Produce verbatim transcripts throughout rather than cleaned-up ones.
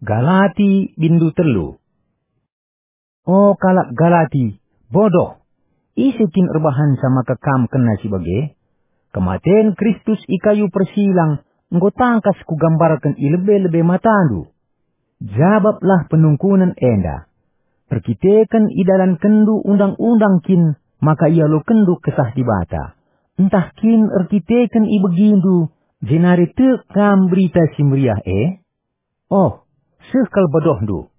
Galati bindu telu. O kalak Galati, bodoh! Ise kin erbahanca maka kam kena si bage? Kematen Kristus i kayu persilang enggo tangkas kugambarken i lebe-lebe matandu. Jabaplah penungkunen enda. Erkiteken idalankenndu undang-undang kin maka ialokenndu Kesah Dibata? Ntah kin erkiteken ibegindu jenari tek kam Berita Si Meriah e? Oh, seh kal bodohndu!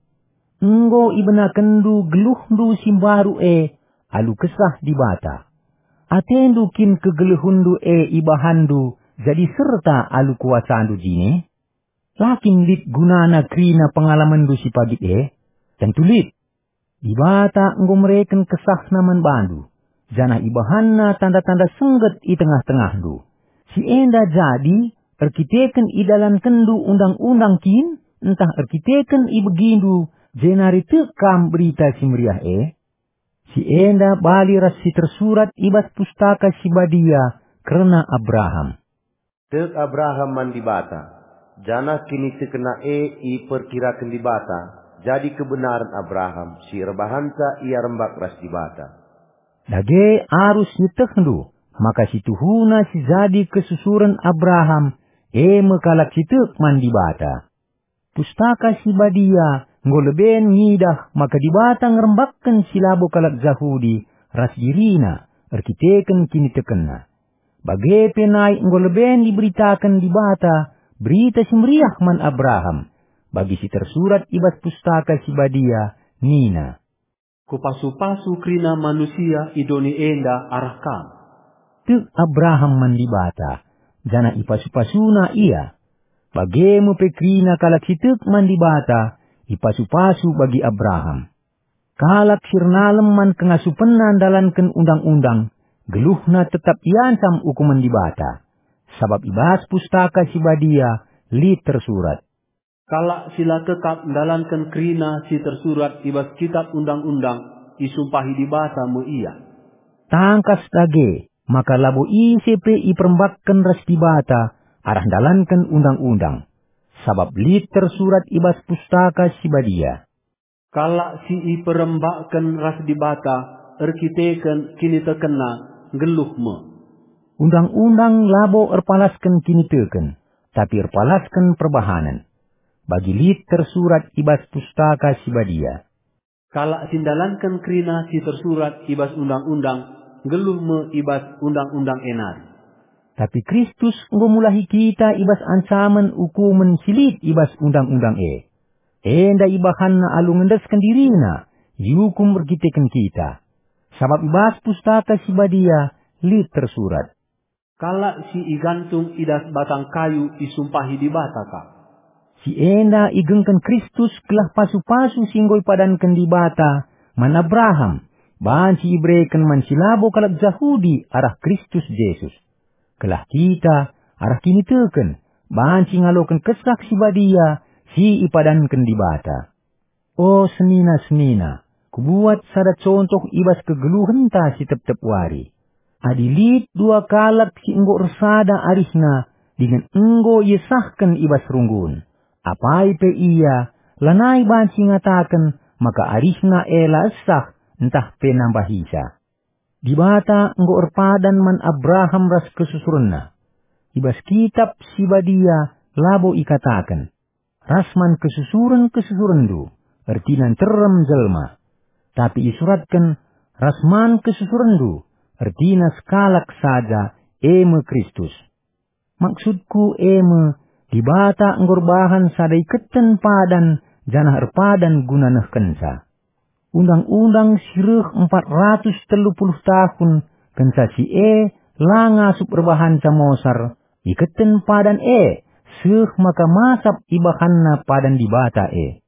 Enggo ibenakenndu geluhndu si mbaru e alu Kesah Dibata. Atendu kin kegeluhenndu e ibahanndu jadi serta alu kuasandu jine? La kin lit gunana kerina pengalamenndu si pagit e? Tentu lit! Dibata enggo mereken KesahNa man bandu, janah ibahanNa tanda-tanda sengget i tengah-tengahndu. Si enda jadi erkiteken idalankenndu undang-undang kin, ntah erkiteken ibegindu jenari tek kam Berita Si Meriah e? Si enda bali ras si tersurat i bas Pustaka Si Badia kerna Abraham. Tek Abraham man Dibata, janah kinitekenna e iperkiraken Dibata jadi kebenaren Abraham si erbahanca ia rembak ras Dibata. Dage arus ietehndu maka si tuhuna si jadi kesusuren Abraham, e me kalak si tek man Dibata. Pustaka Si Badia enggo leben ngidah maka Dibata ngerembakken si labo kalak Jahudi ras diriNa erkiteken kinitekenna. Bage pe nai enggo leben iberitaken Dibata Berita Si Meriah man Abraham, bagi si tersurat i bas Pustaka Si Badia nina, "Kupasu-pasu kerina manusia i doni enda arah kam." Tek Abraham man Dibata, janah ipasu-pasuna ia. Bage me pe kerina kalak si tek man Dibata ipasu-pasu bagi Abraham. Kalak si ernalem man kengasupenna ndalanken undang-undang, geluhna tetap iancam ukumen Dibata. Sabap i bas Pustaka Si Badia lit tersurat, "Kalak si la tetap ndalanken kerina si tersurat i bas Kitap Undang-undang, isumpahi Dibata me ia." Tangkas dage maka labo ise pe iperembakken ras Dibata arah ndalanken undang-undang, sabap lit tersurat i bas Pustaka Si Badia, "Kalak si iperembakken ras Dibata erkiteken kinitekenna nggeluh me." Undang-undang labo erpalasken kiniteken, tapi erpalasken perbahanen. Bagi lit tersurat i bas Pustaka Si Badia, "Kalak si ndalanken kerina si tersurat i bas Undang-undang, nggeluh me i bas Undang-undang e nari." Tapi Kristus enggo mulahi kita i bas ancamen ukumen si lit i bas Undang-undang e. Enda ibahanNa alu ngendesken diriNa, iukum erkiteken kita. Sabap i bas Pustaka Si Badia lit tersurat, "Kalak si igantung i das batang kayu isumpahi Dibata kap." Si enda igengken Kristus gelah pasu-pasu si enggo ipadanken Dibata man Abraham banci ibereken man si labo kalak Jahudi arah Kristus Jesus, gelah kita arah kiniteken banci ngaloken Kesah Si Badia si ipadanken Dibata. O senina-senina, kubuat sada contoh i bas kegeluhenta si tep-tep wari. Adi lit dua kalak si enggo ersada arihna dingen enggo iesahken i bas runggun, apai pe ia lanai banci ngataken maka arihna e la esah ntah pe nambahisa. Dibata enggo erpadan man Abraham ras kesusurenna. I bas Kitap Si Badia labo ikataken, "Ras man kesusuren-kesusurenndu," ertina nterem jelma. Tapi isuratken, "Ras man kesusurenndu," ertina sekalak saja, e me Kristus. Maksudku e me, Dibata enggo erbahan sada iketen padan janah erpadan guna nehkenca. Undang-undang si reh empat ratus telu puluh tahun kenca si e la ngasup erbahanca mosar, iketen padan e, seh maka masap ibahanna padan Dibata e.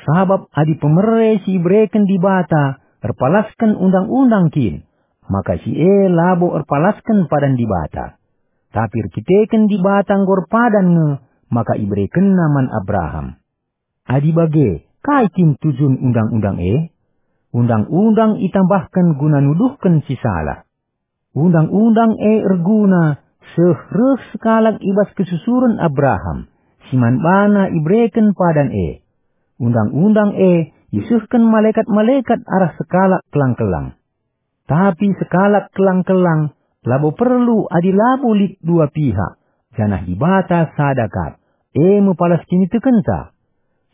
Sabap adi pemere si ibereken Dibata erpalasken undang-undang kin, maka si e labo erpalasken padan Dibata. Tapi erkiteken Dibata enggo erpadan nge, maka iberekenNa man Abraham. Adi bage, kai kin tujun undang-undang e? Undang-undang itambahken guna nuduhken si salah. Undang-undang e erguna seh reh sekalak i bas kesusuren Abraham, si man bana ibereken padan e. Undang-undang e isehken malekat-malekat arah sekalak kelang-kelang. Tapi sekalak kelang-kelang labo perlu adi labo lit dua pihak, janah Dibata sada kap, e me palas kinitekenta.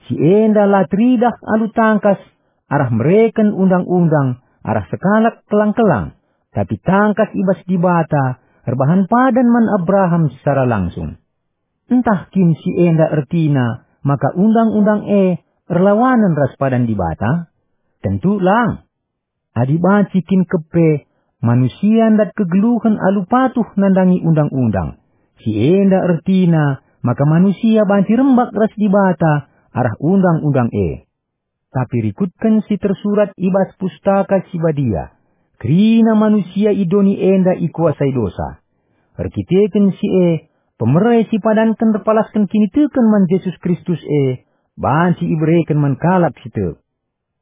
Si enda la teridah alu tangkas arah mereken undang-undang arah sekalak kelang-kelang, tapi tangkas i bas Dibata erbahan padan man Abraham secara langsung. Ntah kin si enda ertina maka undang-undang e erlawanen ras padan Dibata? Tentu lang! Adi banci kin kepe manusia ndat kegeluhen alu patuh nandangi undang-undang, si enda ertina maka manusia banci rembak ras Dibata arah undang-undang e. Tapi rikutken si tersurat i bas Pustaka Si Badia, kerina manusia i doni enda ikuasai dosa. Erkiteken si e, pemere si padanken erpalasken kiniteken man Jesus Kristus e, banci ibereken man kalak si tek.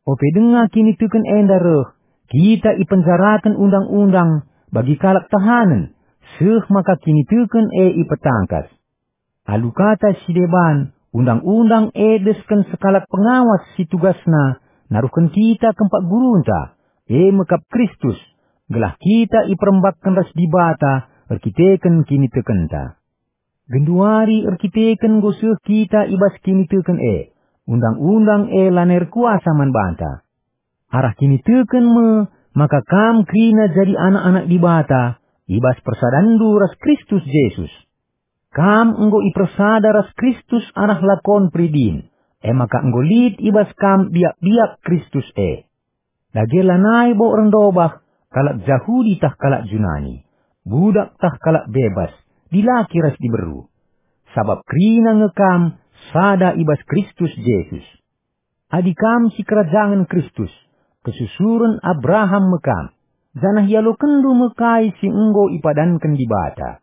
Ope denga kiniteken enda reh, kita ipenjaraken undang-undang bagi kalak tahanen, seh maka kiniteken e ipetangkas. Alu kata si deban, undang-undang e desken sekalak pengawas si tugasna naruhken kita kempak gurunta, e me kap Kristus, gelah kita iperembakken ras Dibata erkiteken kinitekenta. Genduari erkiteken enggo seh kita i bas kiniteken e, undang-undang e lanai erkuasa man banta. Arah kiniteken me maka kam kerina jadi anak-anak Dibata i bas persadanndu ras Kristus Jesus. Kam enggo ipersada ras Kristus arah lakon peridin, e maka enggo lit i bas kam biak-biak Kristus e. Dage lanai bo erndobah kalak Jahudi tah kalak Junani, budak tah kalak bebas, dilaki ras diberu. Sabap kerina nge kam sada i bas Kristus Jesus. Adi kam sikerajangen Kristus, kesusuren Abraham me kam, janah ialokenndu me kai si enggo ipadanken Dibata.